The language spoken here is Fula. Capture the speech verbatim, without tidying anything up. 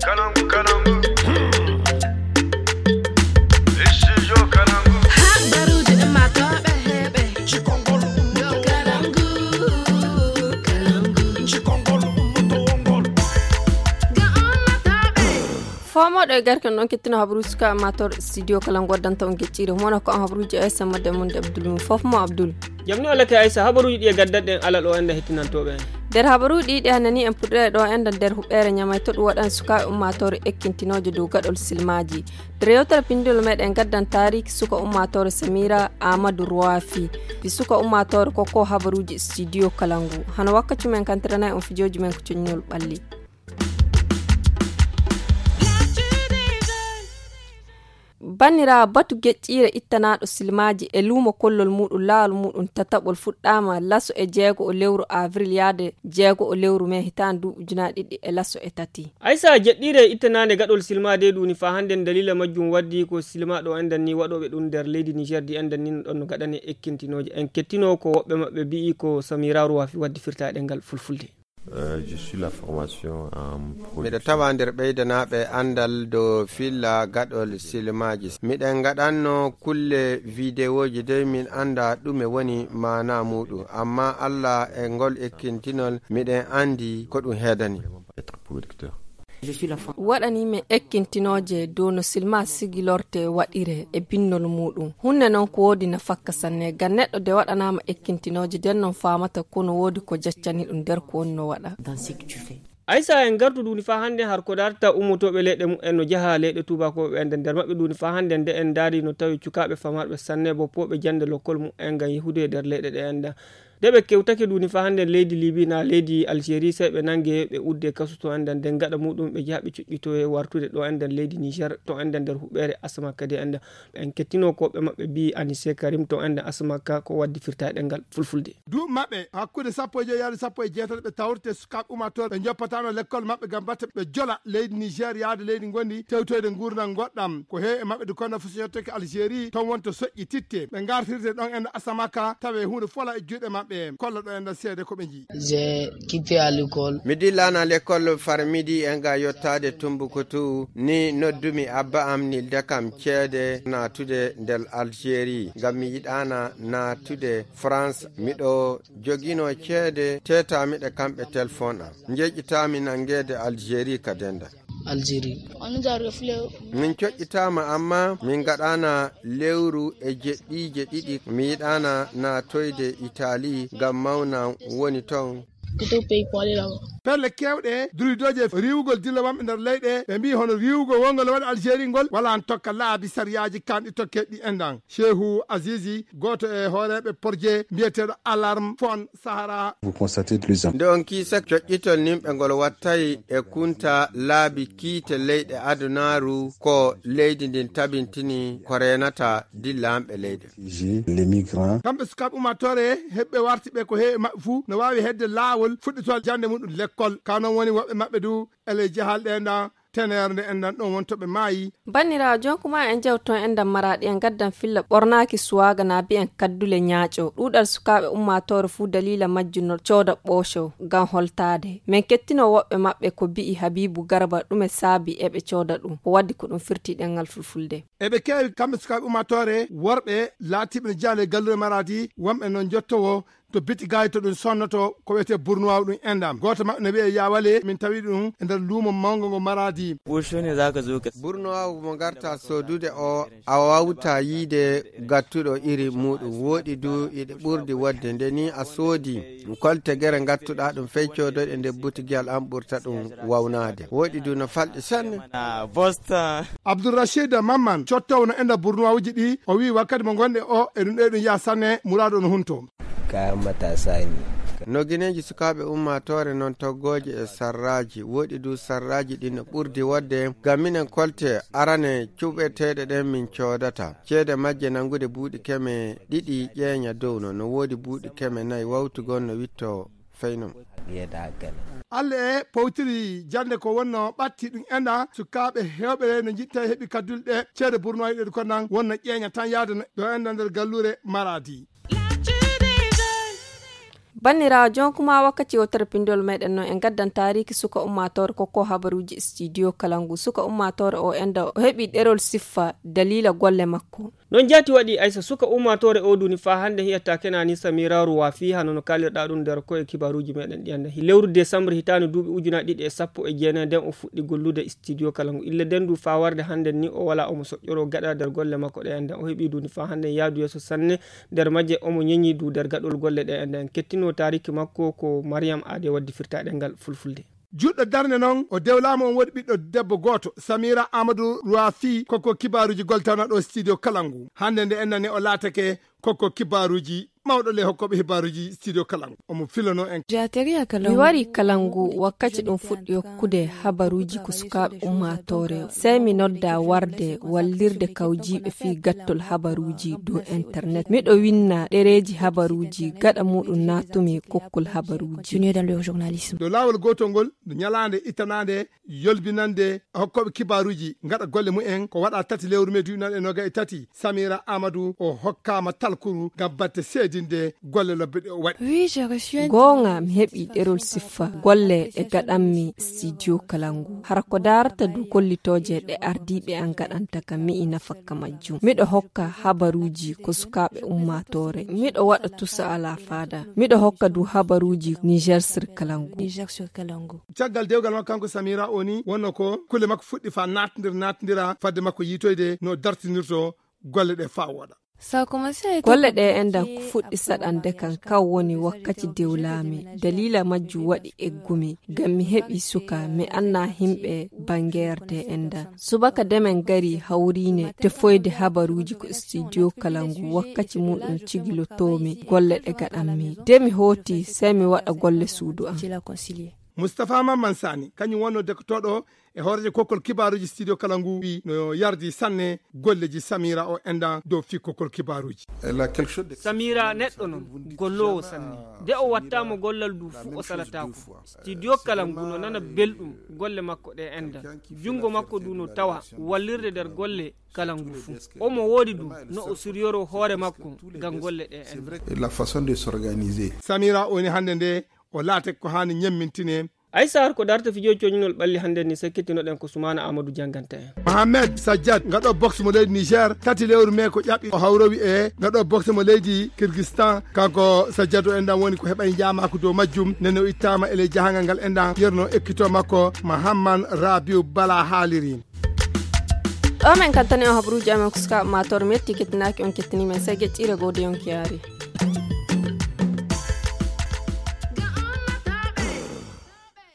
Kalangu, Kalangu. Studio Kalangu. Habaruuji ummaatooɓe heɓe. Cikongol ummaatooɓe. Kalangu, Kalangu. Cikongol ummaatooɓe. Ga ummaatooɓe. Foomoɗo e garke on ɗon kettino habaruuji suka ummaatooɗo studio Kalangu waddanta on geccire. Mono ko an habaruuji o S M de mun de Abdul mun. Fof mo Abdul. Jam ni o lake Aisa, habaruuji ɗi e gaddatɗen alal o enda hettinantooɓe en. Nder habaruuji ɗi ɗi hannani en puɗɗere ɗo enda nder huɓɓere ñamay to ɗum waɗan sukaaɓe ummaatoore ekkintinooje dow gaɗol silmaaji. Nder yewtere pinndol meɗen gaddan taariki suka ummaatoore Samira Amadou Roafi. Fi suka ummaatoore ko ko habaruuji studio Kalangu. Hano wakkaci men kantiranay on fijooji men ko coññol ɓalli. Banniraawo, batu geƴƴiire ittanaaɗo silmaaji e luumo kollol muuɗum, laawol muuɗum tataɓol fuɗɗaama laso e jeego o lewru avril yaade jeego o lewru mee hitaande ndu ujunaaji ɗiɗi e laso e tati. Aysa, jeɗɗiire ittanaande gaɗol silmaade ɗum ni faa hannden daliila majjum waddi ko silmaaɗo enɗan ni waɗooɓe ɗum nder leydi Niger di enɗan ni no ɗon no gaɗane ekkintinooje. En kettinoo ko woɓɓe maɓɓe mbi'i ko Samira Ruwafi waddi firtaaɗe ngal fulfulde. Euh, je suis la formation en production. Miɗo tawa nder ɓeydanaaɓe anndal dow filla gaɗol silmaaji. Miɗen ngaɗanno kulle videoji dey min annda ɗume woni maana muuɗum. Amma Allah e ngol ekkintinol miɗen anndi ko ɗum heedani. Être producteur. Waɗanii men ekkintinooje dow no silma sigilorte waɗire e binnol muuɗum. Huunde noon ko woodi nafakka sanne, ngam neɗɗo de waɗanaama ekkintinooje, nden noon faamata ko no woodi ko jaccani ɗum nder ko woni no waɗa. Aysa, en ngartu duuni faa hannden har ko darta ummotooɓe leyɗe mumen no njaha leyɗe tuubakooɓe enɗan. Nder maɓɓe duuni faa hannden nde en ndaari no tawi cukaaɓe famarɓe sanne, boppooɓe jannde lokkol mumen ngam yahude nder leyɗe ɗe enɗan. Nde ɓe kewtake duuni faa hannden leydi Libi naa leydi Algérie, sey ɓe nannge ɓe udde kasu to enɗan, nden gaɗa muuɗum ɓe njaha ɓe cuɗɗitoye wartude ɗo enɗan leydi Niger, to enɗan nder huɓɓere Asamaka de enɗan. En kettinoo ko ɓe maɓɓe mbi'i Anise Karim to enɗan Asamaka ko waddi firtaaɗe ngal fulfulde. Duuɓi maɓɓe hakkunde sappo e joy yaade sappo e jeetati ɓe tawrete sukaaɓe ummaatooɓe ɓe njoppataano lekkol maɓɓe ngam batte ɓe jola leydi Niger yaade leydi ngondi tewtoyde nguurndam ngoɗɗam. Ko heewi e maɓɓe du kono fof so yettake Algérie toon wonto soƴƴi titte. Ɓe ngartirte ɗon enɗan Asamaka tawe huunde fola e juuɗe maɓɓe. Kolla ɗo enɗan seede ko ɓe njii. J'ai quitté à l'école. Mi dillaana lekkol far midi en ga yottaade Tumbuktu ni noddumi abba am nilda kam ceede naatude nder Algérie ngam mi yiɗaana naatude France. Miɗo joginoo ceede, teetaami ɗe kamɓe telefon am. Njeƴƴitaami nanngeede Algérie ka denda. Algérie. On nous a refilé. Min coƴƴitaama, amma min ngaɗaana lewru e jeɗɗiije ɗiɗi. Mi yiɗaana naatoyde Italie ngam mawnam woni ton. Quitté pays pour aller là-bas. Pelle keewɗe, duridooje riiwugol dilla wonɓe nder leyɗe, ɓe mbii hono riiwugol wongol waɗa Algérie ngol, wala n tokka laabi sariyaaji kanɗi tokkeeɗi enɗan. Shehu Azizi, gooto e hooreeɓe porje mbiyeteeɗo Alarme Fon Sahara. Vous constatez de plus en Nde on kiisa coƴƴitol nimɓe ngol wattay e kunta laabi kiite leyɗe adunaaru ko leydi ndin tabintini ko reenata dillanɓe leyɗe. J'ai les migrants. Kamɓe sukaaɓe ummaatoore heɓɓe warti ɓe ko heewi maɓɓe fuu no waawi hedde laawol fuɗɗitol jannde muɗum lekkol. Ka noon woni woɓɓe maɓɓe du ele jahal ɗe nda teneere nde enɗan ɗon wonto ɓe maayi. Banniraawo, jonkuma en jewto enɗan Maraaɗi en gaddan filla ɓornaaki suwaaga na mbi'en kaddule ñaaƴo. Ɗuuɗal sukaaɓe ummaatoore fuu daliila majjum no cooda ɓooco ngam holtaade. Men kettino woɓɓe maɓɓe ko mbi'i Habiibu Garba ɗume saabi eɓe cooda ɗum. O waddi ko ɗum firti ɗemngal fulfulde. Eɓe keewi kamɓe sukaaɓe ummaatoore worɓe laatiiɓe no jaale galluure Maraadi wonɓe no njottowo to biti gaay to ɗum sonnoto ko wiyetee burnuwaawu ɗum enɗam. Gooto maɓɓe no wiyee Yawale, min tawi ɗum e nder luumo mawngo ngo Maraadi. Burnuwaawu mo ngarta soodude o a wawta yiide gattuɗo iri muuɗum. Wooɗi du iɗe ɓurdi wodde nde ni a soodi kolte gere ngattuɗa ɗum fey coodoyɗe nde butigiyal an ɓurta ɗum wawnaade. Wooɗi du no falɗi sanne. Abdourachid Mamman cottoowo no enɗa burnuwaawuji ɗi o wii wakkati mo ngonɗe o e ɗum ɗo e ɗum yaha sanne muraadu on hunto. Kayan matasa ne. No gineeji sukaaɓe ummaatoore noon toggooje e sarraaji. Wooɗi du sarraaji ɗi no ɓurdi wodde ngam minen kolte arane cuɓeteeɗe ɗen min coodata. Ceede majje nanngude buuɗi keme ɗiɗi ƴeeña dow no. No woodi buuɗi keme nayi wawtugol no witto fey non. Allah e powtiri jannde ko wonno ɓatti ɗum enɗa sukaaɓe heewɓe no njitta heɓi kaddule ɗe ceede burnoyi ɗe ko nan wonno ƴeeña tan yaade ɗo enɗa nder galluure Maraadi. Banniraawo, jonkuma wakkati o terpindiol meɗen noon en gaddan taariki suka ummaatoore kokko habaruuji studio kalangu. Suka ummaatoore o enda o heɓi ɗerol siffa daliila golle makko. Noon jaati waɗi, aysa suka ummaatoore o duuni faa hannde hiyata kenani samiraru wa fii hano no kaalirɗa ɗum nder koye kibaaruuji meɗen ɗi annda. Lewru desambre hitaande duuɓi ujunaaji ɗiɗi e sappo e jeenayi nden o fuɗɗi gollude studio kalangu. Ille nden du faa warde hannde ni o wala omo soƴƴoro gaɗa nder golle makko ɗe enda. O heɓi duuni faa hannde yaadu yeeso sanne. Nder majje omo ñeñi du nder gaɗol golle ɗe enda. En kettino taariki makko ko Mariam Ade waddi firta ɗengal fulfulde. Juɗɗo darnde noon, o dewlaama, on woodi ɓiɗɗo debbo gooto, Samira Amadou Rouafi, kokko kibaaruuji goltana ɗo studio Kalangu. Hannde nde en nani o laatake kokko kibaaruuji mawɗo le hokkooɓe hibaaruuji studio Kalangu. Omo filano en. Mi wari Kalangu wakkati ɗum fuɗɗi hokkude habaruuji ko sukaaɓe ummaatoore. Sey mi nodda warde wallirde kawjiiɓe fii gattol habaruuji dow internet. Miɗo winna ɗereeji habaruuji, gaɗa muuɗum naatumi kokkol habaruuji. Dow laawol gootol ngol, no ñalaande ittanaande yolbinande hokkooɓe kibaaruuji ngaɗa golle mumen ko waɗa tati lewru mee duuɓi noon e noga e tati, Samira Amadou o hokkaama talkuru ngam batte seedinde golle lobbe ɗe o waɗi. Goonga, mi heɓi ɗerol siffa golle ɗe gaɗanmi studio Kalangu. Hara ko daarata du kollitooje ɗe ardiiɓe an gaɗanta kam, mi ina fakka majjum. Miɗo hokka habaruuji ko sukaaɓe ummaatoore. Miɗo waɗa tusa ala faada. Miɗo hokka du habaruuji Niger sur Kalangu. Caggal dewgal makko kanko Samira o ni, wonno ko kulle makko fuɗɗi faa naatndir naatndira fadde makko yiitoyde no dartinirto golle ɗe faa wooɗa. Golle ɗe endan ko fuɗɗi saɗande kan, kan woni wakkati dewlaami. Daliila majjum waɗi eggumi, ngam mi heɓi suka, mi anna himɓe banngeer de endan. Subaka demen gari hawriine tefoyde habaruuji ko studio Kalangu, wakkati muuɗum cigilotoomi golle ɗe gaɗanmi. De mi hooti, sey mi waɗa golle suudu am. Mustapha Mamman Sani, kañum wonno dektooɗo e hooreejo kokkol kibaaruuji studio Kalangu, wi no yardi sanne golleji Samira o endan dow fii kokkol kibaaruuji. Samira neɗɗo non golloowo sanne. De o wattaama gollal du fu o salataako. Studio Kalangu no nana belɗum golle makko ɗe endan. Junngo makko du no tawa wallirde nder golle Kalangu fu. Omo woodi du no o suryoro hoore makko ngam golle ɗe endan. La façon de s'organiser. Samira o ni hannde nde o laate ko haani ñemmintine. Ay Sahar ko darta fijo coñinol ɓalli hannde ni, sakkitinoɗen ko Sumaana Amadou jannganta en. Mohamed Sajjad, ngaɗo boxe mo leydi Niger, tati lewru mee ko ƴaɓɓi o hawrowi e ngaɗo boxe mo leydi Kyrgyzstan. Kanko Sajjad o endan woni ko heɓay njaamaako dow majjum, nene o ittaama e ley jahangal ngal endan, yerno ekkito makko Mahamman Rabiu Bala haaliri. Ɗo men kantani on habaruuji amen ko sukaaɓe maatoore, mi yetti kettinaaki on kettini men, sey geƴƴiire goo de yonki yaari.